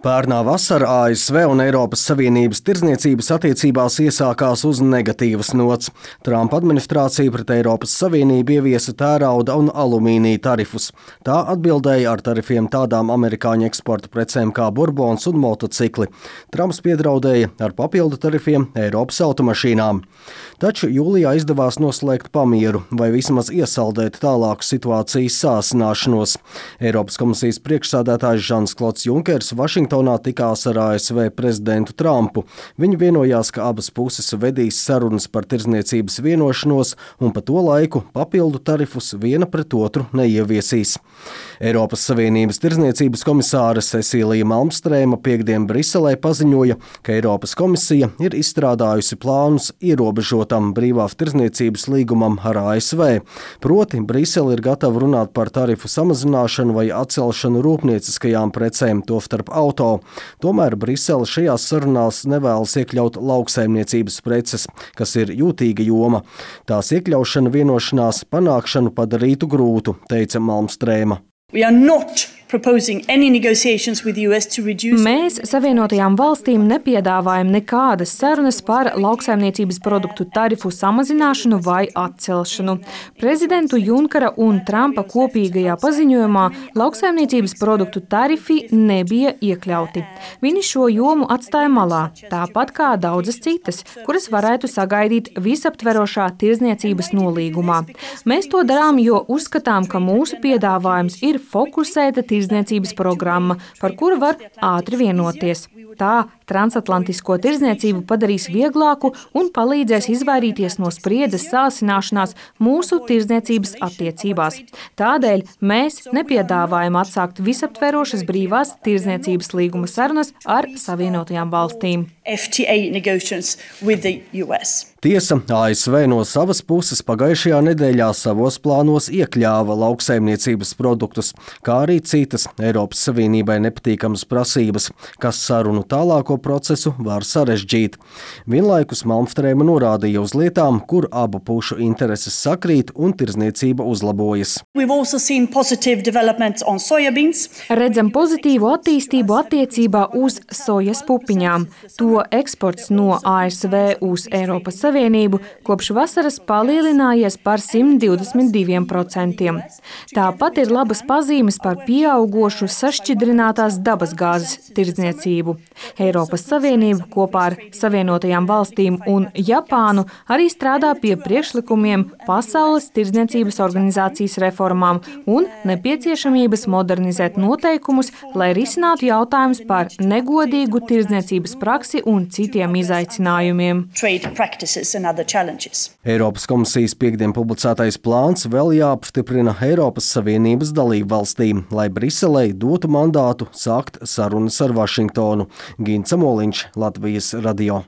Pērnā vasara ASV un Eiropas Savienības tirdzniecības attiecībās iesākās uz negatīvas nots. Trumpa administrācija pret Eiropas Savienību ieviesa tērauda un alumīnija tarifus. Tā atbildēja ar tarifiem tādām amerikāņu eksporta precēm kā burbons un motocikli. Trumps piedraudēja ar papildu tarifiem Eiropas automašīnām. Taču jūlijā izdevās noslēgt pamieru vai vismaz iesaldēt tālāku situācijas sāsināšanos. Eiropas komisijas priekšsēdētājs Žans-Klods Junkers Vašingtonā tikās ar ASV prezidentu Trumpu. Viņi vienojās, ka abas puses vedīs sarunas par tirdzniecības vienošanos un pa to laiku papildu tarifus viena pret otru neieviesīs. Eiropas Savienības tirdzniecības komisāre Cecīlija Malmstrēma piekdien Briselē paziņoja, ka Eiropas komisija ir izstrādājusi plānus ierobežotam brīvā tirdzniecības līgumam ar ASV. Proti, Brisele ir gatava runāt par tarifu samazināšanu vai atcelšanu rūpnieciskajām precēm, tostarp auto. Tomēr Brisele šajās sarunās nevēlas iekļaut lauksaimniecības preces, kas ir jūtīga joma. Tās iekļaušana vienošanās panākšanu padarītu grūtu, teica Malmstrēma. Mēs Savienotajām valstīm nepiedāvājam nekādas sarunas par lauksaimniecības produktu tarifu samazināšanu vai atcelšanu. Prezidentu Junkera un Trumpa kopīgajā paziņojumā lauksaimniecības produktu tarifi nebija iekļauti. Viņi šo jomu atstāja malā, tāpat kā daudzas citas, kuras varētu sagaidīt visaptverošā tirdzniecības nolīgumā. Mēs to darām, jo uzskatām, ka mūsu piedāvājums ir fokusēta tirdzniecības programma, par kuru var ātri vienoties. Tā transatlantisko tirdzniecību padarīs vieglāku un palīdzēs izvairīties no spriedzes sāsināšanās mūsu tirdzniecības attiecībās. Tādēļ mēs nepiedāvājam atsākt visaptverošas brīvās tirdzniecības līguma sarunas ar Savienotajām valstīm. Tiesa, ASV no savas puses pagājušajā nedēļā savos plānos iekļāva lauksaimniecības produktus, kā arī citas Eiropas Savienībai nepatīkamas prasības, kas sarunu tālāko procesu var sarežģīt. Vienlaikus Malmstrēma norādīja uz lietām, kur abu pušu intereses sakrīt un tirdzniecība uzlabojas. Redzam pozitīvu attīstību attiecībā uz sojas pupiņām. To eksports no ASV uz Eiropas Savienību kopš vasaras palielinājies par 122%. Tāpat ir labas pazīmes par pieaugošu sašķidrinātās dabasgāzes tirdzniecību. Eiropas Savienība kopā ar Savienotajām valstīm un Japānu arī strādā pie priekšlikumiem Pasaules tirdzniecības organizācijas reformām un nepieciešamības modernizēt noteikumus, lai risinātu jautājumus par negodīgu tirdzniecības praksi un citiem izaicinājumiem. Eiropas komisijas piekdien publicētais plāns vēl jāapstiprina Eiropas Savienības dalību valstīm, lai Briselei dotu mandātu sākt sarunas ar Vašingtonu. Gints Samoliņš, Latvijas radio.